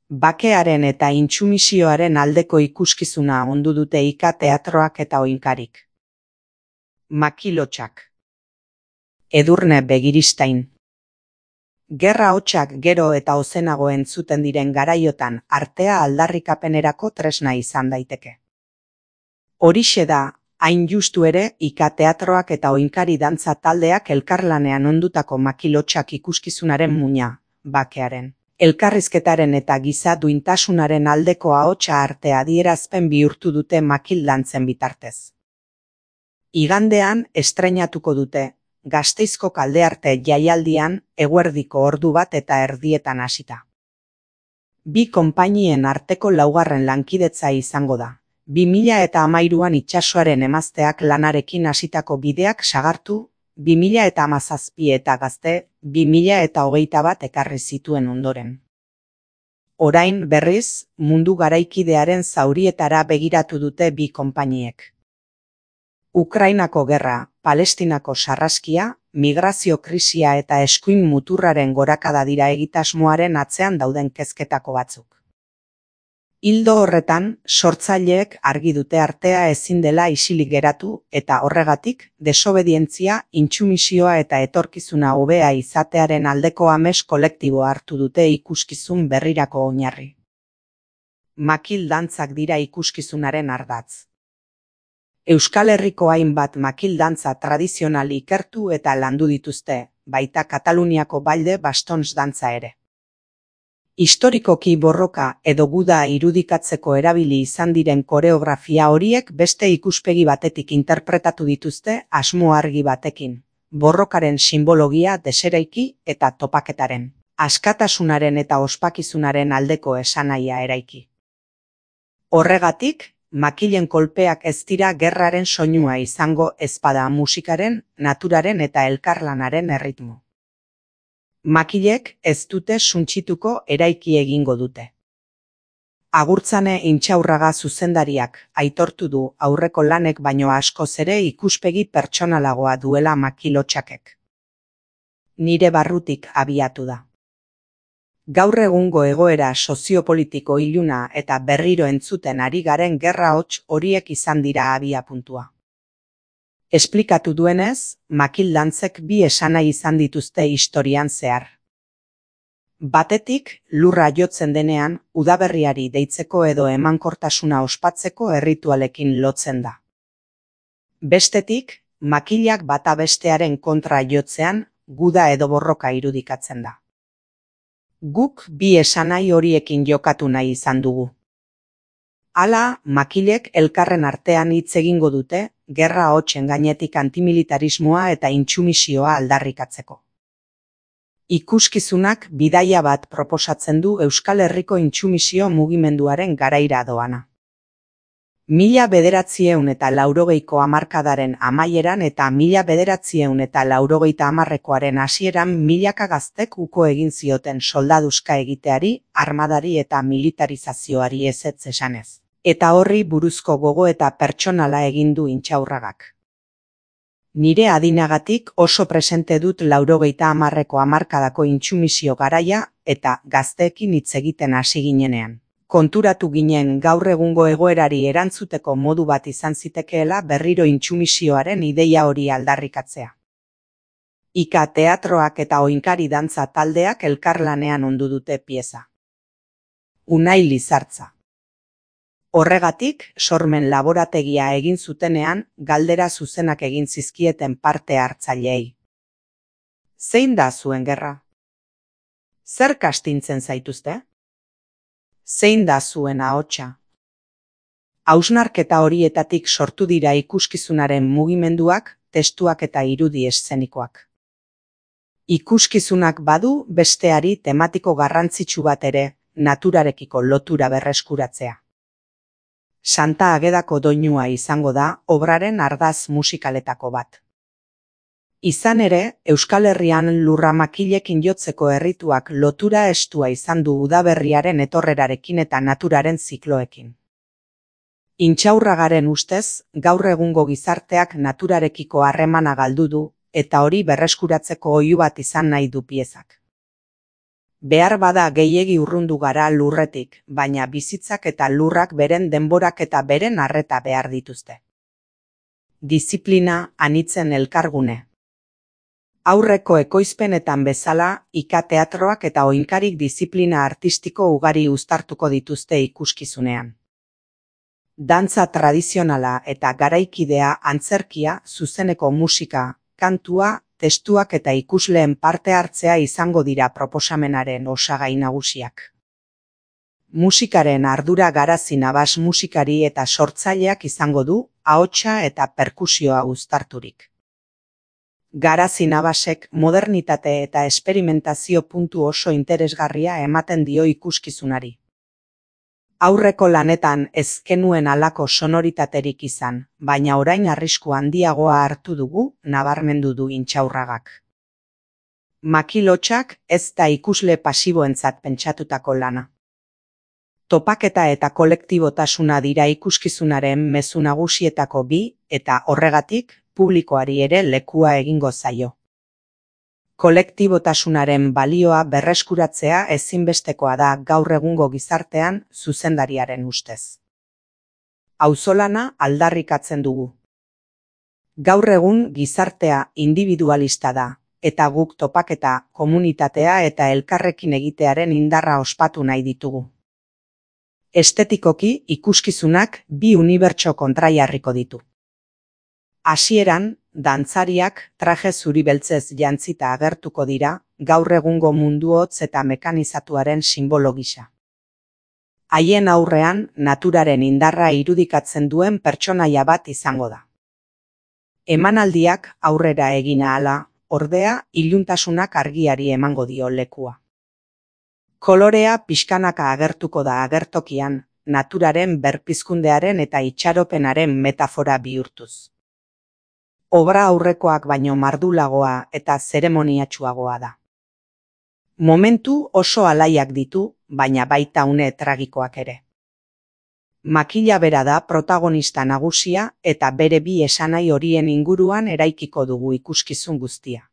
Bakearen eta intsumisioaren aldeko ikuskizuna ondu dute Ika teatroak eta oinkarik. Makilotsak. Edurne Begiristain. Gerra hotsak gero eta ozenago entzuten diren garaiotan artea aldarrikapenerako tresna izan daiteke. Horixe da, hain justu ere, Ika teatroak eta oinkari dantza taldeak elkarlanean ondutako makilotsak ikuskizunaren muina, bakearen, elkarrizketaren eta giza duintasunaren aldeko ahotsa arte adierazpen bihurtu dute makil dantzen bitartez. Igandean estreinatuko dute, Gasteizko Kaldearte jaialdian eguerdiko ordu 1:30 hasita. Bi konpainien arteko laugarren lankidetza izango da. 2013an itsasoaren emazteak lanarekin hasitako bideak sagartu, 2017 eta Gazte 2021 ekarri zituen ondoren. Orain berriz, mundu garaikidearen zaurietara begiratu dute bi konpainiek. Ukrainako gerra, Palestinako sarraskia, migrazio krisia eta eskuin muturraren gorakada dira egitasmoaren atzean dauden kezketako batzuk. Ildo horretan, sortzaileek argi dute artea ezin dela isilik geratu eta horregatik, desobedientzia, intsumisioa eta etorkizuna hobea izatearen aldeko ames kolektiboa hartu dute ikuskizun berrirako oinarri. Makil dantzak dira ikuskizunaren ardatz. Euskal Herriko hainbat makil dantza tradizional ikertu eta landu dituzte, baita Kataluniako balde bastons dantza ere. Historikoki borroka edo guda irudikatzeko erabili izan diren koreografia horiek beste ikuspegi batetik interpretatu dituzte asmo argi batekin, borrokaren simbologia deseraiki eta topaketaren, askatasunaren eta ospakizunaren aldeko esanahia eraiki. Horregatik, makilen kolpeak ez dira gerraren soinua izango ezpada musikaren, naturaren eta elkarlanaren erritmo. Makilek ez dute suntsituko eraiki egingo dute. Agurtzane Intxaurraga zuzendariak aitortu du aurreko lanek baino askoz ere ikuspegi pertsonalagoa duela makilotsakek. Nire barrutik abiatu da. Gaur egungo egoera soziopolitiko iluna eta berriro entzuten ari garen gerra hots horiek izan dira abiapuntua. Esplikatu duenez, makil dantzek bi esanahi izan dituzte historian zehar. Batetik, lurra jotzen denean, udaberriari deitzeko edo emankortasuna ospatzeko erritualekin lotzen da. Bestetik, makilak bata bestearen kontra jotzean, guda edo borroka irudikatzen da. Guk bi esanahi horiekin jokatu nahi izan dugu. Hala, makilek elkarren artean hitz egingo dute, gerra hotsen gainetik antimilitarismoa eta intsumisioa aldarrikatzeko. Ikuskizunak bidaia bat proposatzen du Euskal Herriko intsumisio mugimenduaren garaira doana. 1980ko hamarkadaren amaieran eta 1980koaren hasieran milaka gaztek uko egin zioten soldaduska egiteari, armadari eta militarizazioari ezetz esanez. Eta horri buruzko gogo eta pertsonala egin du Intxaurragak. Nire adinagatik oso presente dut 1980ko hamarkadako intsumisio garaia eta gazteekin hitz egiten hasi ginenean. Konturatu ginen gaur egungo egoerari erantzuteko modu bat izan zitekeela berriro intsumisioaren ideia hori aldarrikatzea. Ika teatroak eta oinkari dantza taldeak elkarlanean ondu dute pieza. Unai Lizartza. Horregatik, sormen laborategia egin zutenean, galdera zuzenak egin zizkieten parte hartzaileei. Zein da zuen gerra? Zer kastintzen zaituzte? Zein da zuen ahotsa? Hausnarketa horietatik sortu dira ikuskizunaren mugimenduak, testuak eta irudi eszenikoak. Ikuskizunak badu besteari tematiko garrantzitsu bat ere, naturarekiko lotura berreskuratzea. Santa Agedako doinua izango da obraren ardaz musikaletako bat. Izan ere, Euskal Herrian lurra makilekin jotzeko errituak lotura estua izan du udaberriaren etorrerarekin eta naturaren zikloekin. Intxaurragaren ustez, gaur egungo gizarteak naturarekiko harremana galdu du, eta hori berreskuratzeko oihu bat izan nahi du piezak. Behar bada gehiegi urrundu gara lurretik, baina bizitzak eta lurrak beren denborak eta beren arreta behar dituzte. Diziplina anitzen elkargune. Aurreko ekoizpenetan bezala, ika-teatroak eta oinkarik diziplina artistiko ugari uztartuko dituzte ikuskizunean. Dantza tradizionala eta garaikidea, antzerkia, zuzeneko musika, kantua, testuak eta ikusleen parte hartzea izango dira proposamenaren osagai nagusiak. Musikaren ardura Garazi Navas musikari eta sortzaileak izango du, ahotsa eta perkusioa uztarturik. Garazi Navasek modernitate eta esperimentazio puntu oso interesgarria ematen dio ikuskizunari. Aurreko lanetan ez genuen halako sonoritaterik izan, baina orain arrisku handiagoa hartu dugu, nabarmendu du Intxaurragak. Makilotxak ez da ikusle pasiboentzat pentsatutako lana. Topaketa eta kolektibotasuna dira ikuskizunaren mezu nagusietako bi, eta horregatik, publikoari ere lekua egingo zaio. Kolektibotasunaren balioa berreskuratzea ezinbestekoa da gaur egungo gizartean zuzendariaren ustez. Auzolana aldarrikatzen dugu. Gaur egun gizartea individualista da, eta guk topaketa, komunitatea eta elkarrekin egitearen indarra ospatu nahi ditugu. Estetikoki ikuskizunak bi unibertso kontraiarriko ditu. Hasieran, dantzariak traje zuri beltzez jantzita agertuko dira, gaur egungo mundu hotz eta mekanizatuaren simbolo gisa. Haien aurrean, naturaren indarra irudikatzen duen pertsonaia bat izango da. Emanaldiak aurrera egin ahala, ordea, iluntasunak argiari emango dio lekua. Kolorea pixkanaka agertuko da agertokian, naturaren berpizkundearen eta itxaropenaren metafora bihurtuz. Obra aurrekoak baino mardulagoa eta zeremoniatsuagoa da. Momentu oso alaiak ditu, baina baita une tragikoak ere. Makila bera da protagonista nagusia eta bere bi esanahi horien inguruan eraikiko dugu ikuskizun guztia.